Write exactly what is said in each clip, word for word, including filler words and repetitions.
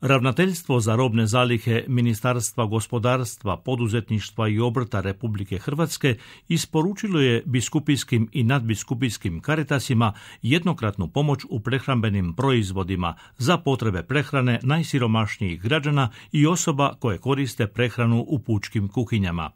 Ravnateljstvo za robne zalihe Ministarstva gospodarstva, poduzetništva i obrta Republike Hrvatske isporučilo je biskupijskim i nadbiskupijskim Caritasima jednokratnu pomoć u prehrambenim proizvodima za potrebe prehrane najsiromašnijih građana i osoba koje koriste prehranu u pučkim kuhinjama.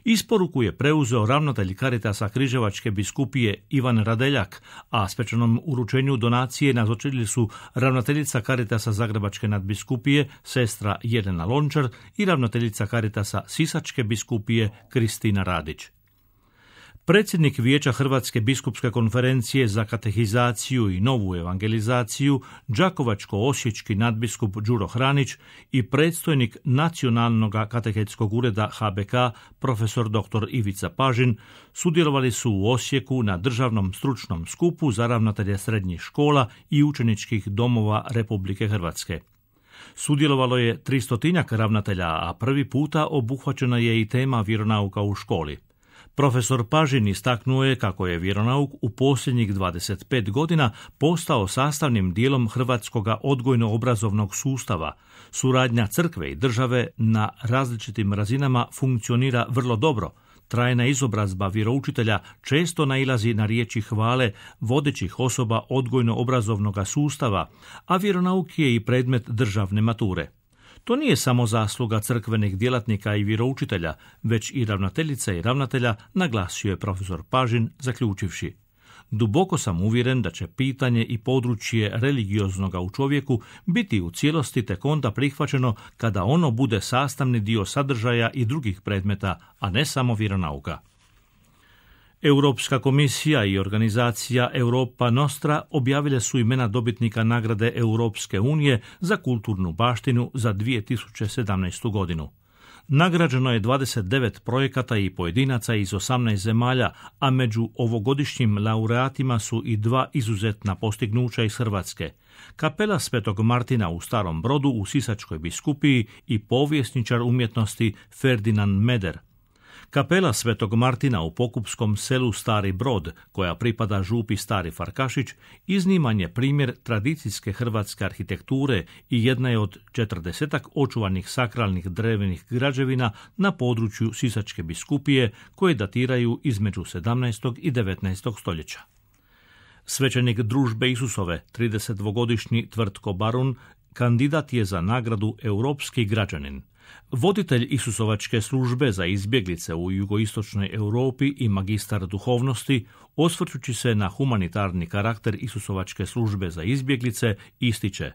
Isporuku je preuzeo ravnatelj Caritasa Križevačke biskupije Ivan Radeljak, a svečanom uručenju donacije nazočili su ravnateljica Caritasa Zagrebačke nadbiskupije sestra Jelena Lončar i ravnateljica Caritasa Sisačke biskupije Kristina Radić. Predsjednik Vijeća Hrvatske biskupske konferencije za katehizaciju i novu evangelizaciju, đakovačko-osječki nadbiskup Đuro Hranić i predstojnik Nacionalnog katehetskog ureda H B K, profesor doktor Ivica Pažin, sudjelovali su u Osijeku na državnom stručnom skupu za ravnatelje srednjih škola i učeničkih domova Republike Hrvatske. Sudjelovalo je tristotinjak ravnatelja, a prvi puta obuhvaćena je i tema vjeronauka u školi. Profesor Pažin istaknuo je kako je vjeronauk u posljednjih dvadeset pet godina postao sastavnim dijelom hrvatskoga odgojno-obrazovnog sustava. Suradnja crkve i države na različitim razinama funkcionira vrlo dobro. Trajna izobrazba vjeroučitelja često nailazi na riječi hvale vodećih osoba odgojno-obrazovnog sustava, a vjeronauk je i predmet državne mature. To nije samo zasluga crkvenih djelatnika i vjeroučitelja, već i ravnateljica i ravnatelja, naglasio je profesor Pažin, zaključivši: duboko sam uvjeren da će pitanje i područje religioznoga u čovjeku biti u cijelosti tek onda prihvaćeno kada ono bude sastavni dio sadržaja i drugih predmeta, a ne samo vjeronauka. Europska komisija i organizacija Europa Nostra objavile su imena dobitnika nagrade Europske unije za kulturnu baštinu za dvije tisuće sedamnaestu godinu. Nagrađeno je dvadeset devet projekata i pojedinaca iz osamnaest zemalja, a među ovogodišnjim laureatima su i dva izuzetna postignuća iz Hrvatske. Kapela Svetog Martina u Starom Brodu u Sisačkoj biskupiji i povjesničar umjetnosti Ferdinand Meder. Kapela Svetog Martina u pokupskom selu Stari Brod, koja pripada župi Stari Farkašić, izniman je primjer tradicijske hrvatske arhitekture i jedna je od četrdesetak očuvanih sakralnih drvenih građevina na području Sisačke biskupije, koje datiraju između sedamnaestog i devetnaestog stoljeća. Svećenik Družbe Isusove, tridesetdvogodišnji Tvrtko Barun, kandidat je za nagradu Europski građanin. Voditelj Isusovačke službe za izbjeglice u jugoistočnoj Europi i magistar duhovnosti, osvrćući se na humanitarni karakter Isusovačke službe za izbjeglice, ističe: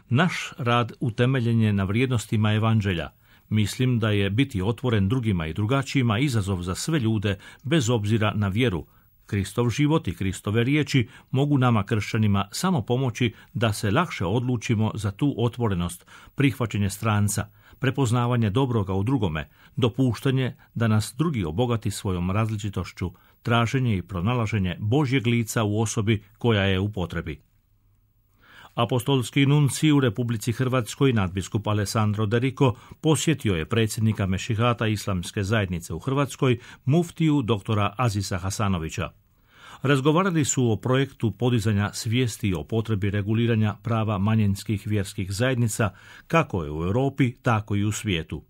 naš rad utemeljen je na vrijednostima evanđelja. Mislim da je biti otvoren drugima i drugačijima izazov za sve ljude, bez obzira na vjeru. Kristov život i Kristove riječi mogu nama kršćanima samo pomoći da se lakše odlučimo za tu otvorenost, prihvaćanje stranca, prepoznavanje dobroga u drugome, dopuštanje da nas drugi obogati svojom različitošću, traženje i pronalaženje Božjeg lica u osobi koja je u potrebi. Apostolski nuncij u Republici Hrvatskoj, nadbiskup Alessandro De Rico, posjetio je predsjednika Mešihata Islamske zajednice u Hrvatskoj, muftiju doktora Azisa Hasanovića. Razgovarali su o projektu podizanja svijesti o potrebi reguliranja prava manjinskih vjerskih zajednica, kako je u Europi, tako i u svijetu.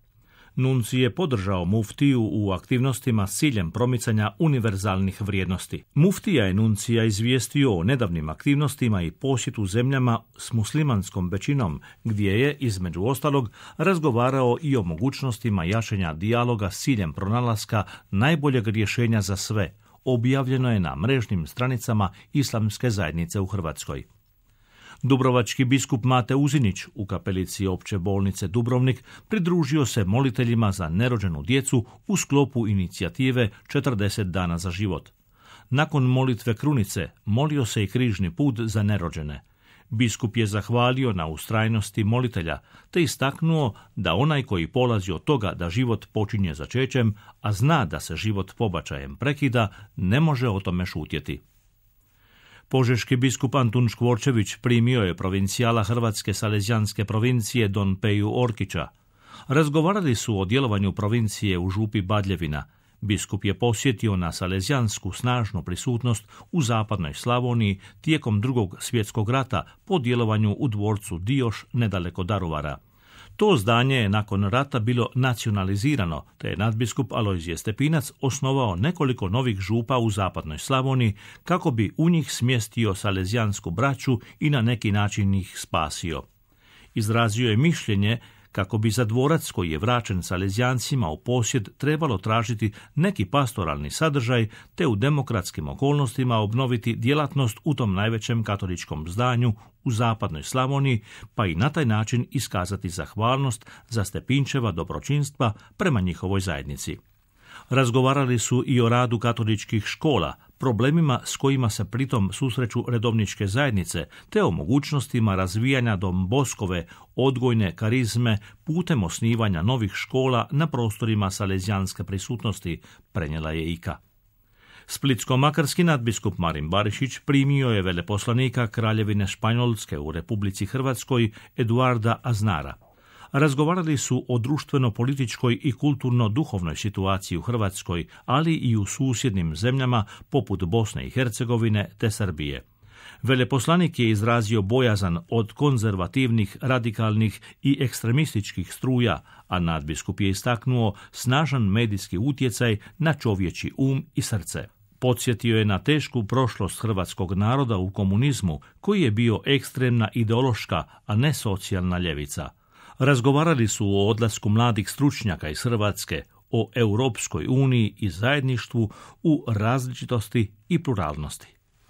Nuncij je podržao muftiju u aktivnostima s ciljem promicanja univerzalnih vrijednosti. Muftija je nuncija izvijestio o nedavnim aktivnostima i posjetu zemljama s muslimanskom većinom, gdje je, između ostalog, razgovarao i o mogućnostima jačanja dijaloga s ciljem pronalaska najboljeg rješenja za sve. Objavljeno je na mrežnim stranicama Islamske zajednice u Hrvatskoj. Dubrovački biskup Mate Uzinić u kapelici Opće bolnice Dubrovnik pridružio se moliteljima za nerođenu djecu u sklopu inicijative četrdeset dana za život. Nakon molitve krunice molio se i križni put za nerođene. Biskup je zahvalio na ustrajnosti molitelja, te istaknuo da onaj koji polazi od toga da život počinje začećem, a zna da se život pobačajem prekida, ne može o tome šutjeti. Požeški biskup Antun Škvorčević primio je provincijala Hrvatske Salezijanske provincije Don Peju Orkića. Razgovarali su o djelovanju provincije u župi Badljevina. Biskup je posjetio na salezijansku snažnu prisutnost u zapadnoj Slavoniji tijekom Drugog svjetskog rata po djelovanju u dvorcu Dioš nedaleko Daruvara. To zdanje je nakon rata bilo nacionalizirano, te je nadbiskup Alojzije Stepinac osnovao nekoliko novih župa u zapadnoj Slavoniji kako bi u njih smjestio salezijansku braću i na neki način ih spasio. Izrazio je mišljenje kako bi za dvorac koji je vraćen Salezijancima u posjed trebalo tražiti neki pastoralni sadržaj te u demokratskim okolnostima obnoviti djelatnost u tom najvećem katoličkom zdanju u zapadnoj Slavoniji, pa i na taj način iskazati zahvalnost za Stepinčeva dobročinstva prema njihovoj zajednici. Razgovarali su i o radu katoličkih škola, problemima s kojima se pritom susreću redovničke zajednice, te o mogućnostima razvijanja Dom Boskove odgojne karizme putem osnivanja novih škola na prostorima salezijanske prisutnosti, prenijela je I K A. Splitsko-makarski nadbiskup Marin Barišić primio je veleposlanika Kraljevine Španjolske u Republici Hrvatskoj Eduarda Aznara. Razgovarali su o društveno-političkoj i kulturno-duhovnoj situaciji u Hrvatskoj, ali i u susjednim zemljama poput Bosne i Hercegovine te Srbije. Veleposlanik je izrazio bojazan od konzervativnih, radikalnih i ekstremističkih struja, a nadbiskup je istaknuo snažan medijski utjecaj na čovječji um i srce. Podsjetio je na tešku prošlost hrvatskog naroda u komunizmu, koji je bio ekstremna ideološka, a ne socijalna ljevica. Razgovarali su o odlasku mladih stručnjaka iz Hrvatske, o Europskoj uniji i zajedništvu u različitosti i pluralnosti.